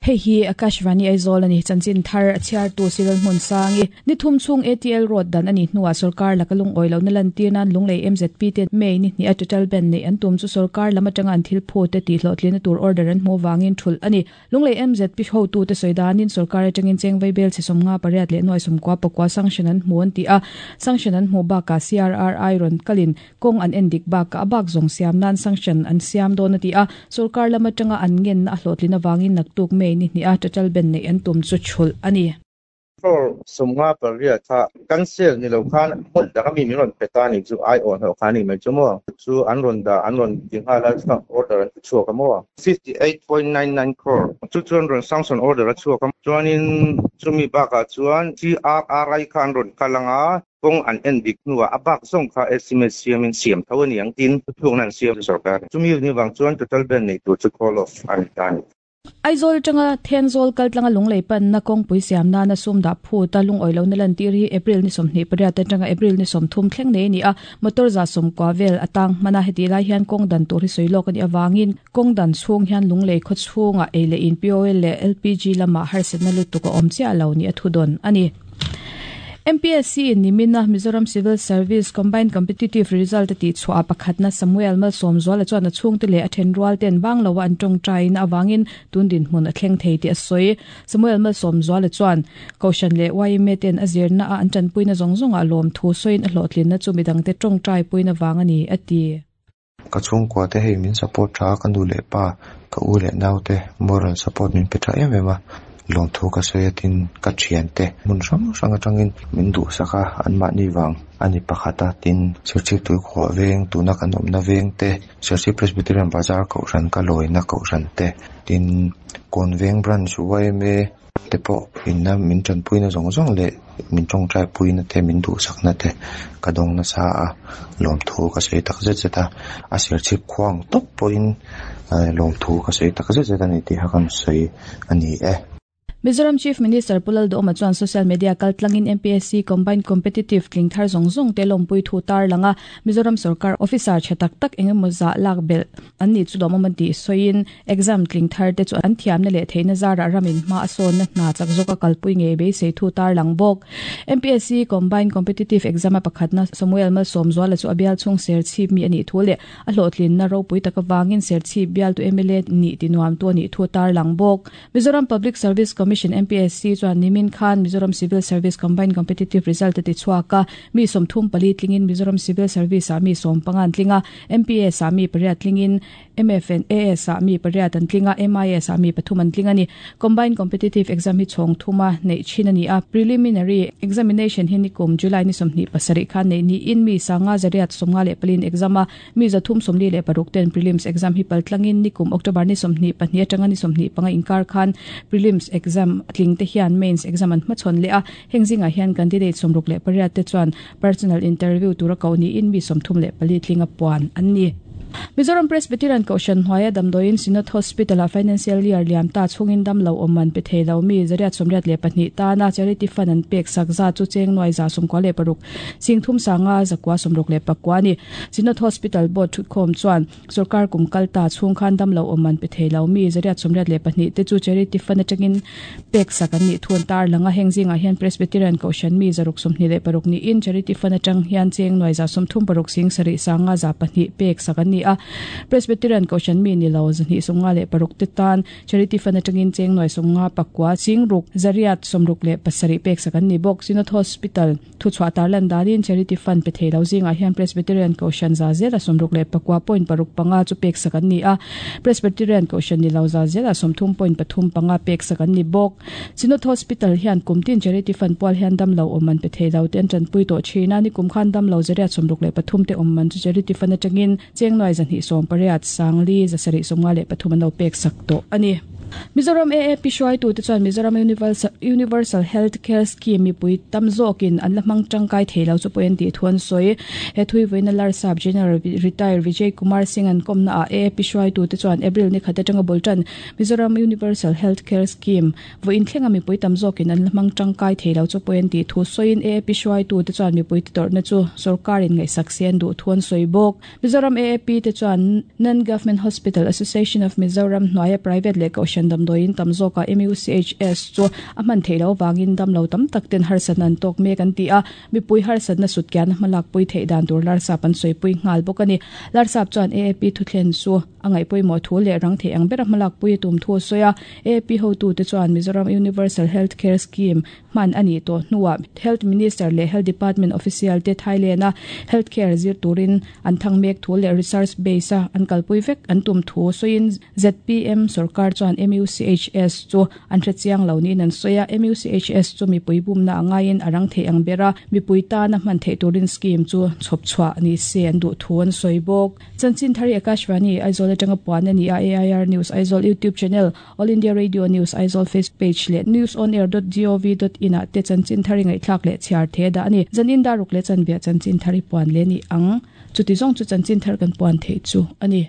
Hei hi Akashvani Aizawl a ni. Chanchin thar a chhiartu Cyril Hmunsangi. Ni thum chhung ATL road dan a nih hnuah sorkar laka lungawi lohna lantir nan Lunglei MZP te May ni hnih a total ban neih an tum chu sorkar lam atanga an thil phut te tihhlawhtlinna tur order an hmuh vangin thulh a ni. Lunglei MZP hotute sawi danin sorkar atangin chengvei bel chhe 58 leh nuai 99 sanction an hmu an ti a. Sanction an hmuh bakah CRRI rawn kalin Kawng an en dik bakah a bak zawng siam nan sanction an siam dawn a ti a, sorkar lam atanga an ngenna a hlawhtlin avangin naktuk May ni hnih a total ban neih an tum chu chhulh a ni. Crore 58 kha cancel ni lo khan hmun dang ami min rawn pe ta nih chu ai awh hnawh kha a nih mai chu maw? Chu an rawn dah an rawn ti nghal a chuan order an ti chhuak a maw? 58.99 crore chu chuan rawn sanction order a chhuak a chuanin chumi bakah chuan CRRI kha an rawn kal ang a Kawng an en dik hnuah a bak zawng kha estimate siamin siam tho a ni ang tiin thuthlukna an siam sorkar. Chumi ni vang chuan total ban nei tur chu call off a ni ta a ni. Aizawl atanga Thenzawl kaltlanga lunglei panna kawngpui siam nana sum dah phut a lungawi lohna lantir hi April ni 28 atanga April ni 30 thleng nei a ni a, motor 90 vel a tang hman a, hetih lai hian kawng dan tur hi sawi lawk a nih avangin kawng dan chhung hian lunglei khaw chhungah ei leh in POL leh LPG lamah harsatna lutuk a awm chiah lo nih a thudawn a ni. MPSC in nimina Mizoram Civil Service Combined Competitive Result a tihchhuah ah pakhatna Samuel Malsawmzuala chuan a chhungte leh a thenrual ten bang loa an tawngtaina avangin tun dinhmun a thleng thei tih a sawi. Samuel Malsawmzuala chuan Kohhran leh yma ten a zirna a an tanpuina zawng zawngah lawmthu sawiin a hlawhtlinna chu midangte tawngtaipuina vang a ni, a ti. Ka chhungkua te hei min support tha a, ka nu leh pa, ka u leh nau te moral support min pe tha em em a, lawmthu ka sawi a tin ka thian te hmun hrang hrang atangin min duhsak a, anmahni vang a ni pakhat a, tin Serchhip Tuikhuah veng tuna kan awmna veng te, Serchhip Presbyterian Bazar kohhran ka lawina kohhran te, tin Kawnveng Branch yma te pawh inna min tanpuina zawng zawng leh min tawngtai puina te min duhsakna te ka dawng nasa a, lawmthu ka sawi tak zet zet a, a serchhip khuang tawp pawhin lawmthu ka sawi tak zet zet a ni tih kha kan sawi a ni e. Mizoram Chief Minister Pu Lalduhawma chuan social media kaltlangin MPSC Combined Competitive tling thar zawng zawng te lawmpui thu tarlang a, Mizoram sorkar officer tha tak tak engemaw zah lak belh an nih chu lawmawm a tih sawiin exam tling thar te chu an thiamna leh theihna zarah ramin hma a sawnna hna chak zawka kalpui ngei beisei thu tarlang bawk. MPSC Combined Competitive Exam a pakhatna Samuel Malsawmzuala chu a bial chhung Serchhip mi a nih thu leh a hlawhtlinna ropui tak avangin Serchhip bialtu mla nih tinuamtu a nih thu tarlang bawk. Mizoram Public Service Commission, MPSC, chuan nimin khan Mizoram Civil Service Combined Competitive Result a ti chhuak a, mi 34 tlingin Mizoram Civil Service-ah mi 15 an tling a, MPS-ah mi pariat tlingin MFNAS-ah mi pariat an tling a, MIS-ah mi pathum an tling a ni. Combined Competitive Exam hi chhawng thuma neih thin a ni a, Preliminary Examination hi nikum July ni 27 khan neih niin mi sanga zariat 54 in exam a, Mi 346 ten prelims exam hi pal tlangin nikum October ni 22 atanga ni 25 inkar khan prelims exam tling te hian mains exam an hmachhawn leh a, heng zingah hian candidate 68 te chuan personal interview tura koh niin mi 34 tlinga puan an ni. Mizoram Presbyterian Kohhran hnuaia damdawiin Synod Hospital-ah Financial Year liam ta chhungin damlo awm man pe thei lo mi 182 tana Charity Fund an pek sak zat chu cheng nuai 96 Singthum sanga 964 a ni. Synod Hospital Board thutkhawm chuan sorkar kum kal ta chhung khan damlo awm man pe thei lo mi 182 te chu Charity Fund atangin pek sak an nih thu an tarlang a. Heng zingah hian Presbyterian Kohhran mi 126 niin Charity Fund atang hian cheng nuai 36 sing sarih sanga 2 pek sak an ni a. Presbyterian Kohhran mi ni lo 256 te tan Charity Fund atangin cheng nuai 59 sing ruk 167 pek sak an ni bawk. Synod Hospital Thuchhuah tarlan danin Charity Fund pe thei lo zingah hian Presbyterian Kohhran za zela 64 point paruk panga chu pek sak an ni a, Presbyterian Kohhran ni lo za zela 30 point pathum panga pek sak an ni bawk. Synod Hospital hian kum tin Charity Fund pual hian damlo awm man pe thei lo te an tanpui tawh thin a, nikum khan damlo 163 te awm man chu Charity Fund atangin cheng nuai 280 sangli 753 an lo pek sak tawh a ni. Mizoram AAP hruaitute chuan Mizoram Universal Health Care Scheme mipui tam zawkin an la hmang tangkai thei lo chu pawh an tih thu an sawi. He thuivawiina Larsap General Retire Vijay Kumar Singh an kawmna ah AAP hruaitute chuan April ni khat atanga bul tan Mizoram Universal Health Care Scheme vawiin thlenga mipui tam zawkin an la hmang tangkai thei lo chu pawh an tih thu sawiin AAP hruaitute chuan mipui te tawrhna chu sorkarin ngaihsak se an duh thu an sawi bawk. Mizoram AAP te chuan Non Government Hospital Association of Mizoram hnuaia private leh kohhran kohhran damdawiin tam zawkah MUCHS chu a hman theih loh avangin damlo tam tak ten harsatna an tawk mek an ti a, mipui harsatna sutkiahna hmalakpui theih dan tur Larsap an sawipui nghal bawk a ni. Larsap chuan AAP thuthlen chu a ngaihpawimawh thu leh rang theih ang bera hmalakpui a tum thu a sawi a, AAP hotute chuan Mizoram Universal Health Care Scheme hman a nih tawh hnuah Health Minister leh Health Department official te Thailand-a health care zir turin an thang mek thu leh research base-a an kalpui vek an tum thu sawiin zpm sorkar chuan MUCHS chu an hre chiang lo niin an sawi a. MUCHS chu mipui bumna a ngaiin a rang theih ang ber a, mipui tana hman theih turin scheme chu chhawp chhuah ni se an duh thu an sawi bawk. Chanchin Thari Akashvani, Aizawl atanga puan a ni a, AIR News Aizawl YouTube channel, All India Radio News Aizawl Facebook page leh newsonair.gov.in ah te chanchin thar i ngaihthlak leh chhiar the dah a ni. Zanin daruk leh chanbiah chanchin thar i puan leh ni ang. Chuti zawng chu chanchin thar kan puan theih chu a ni.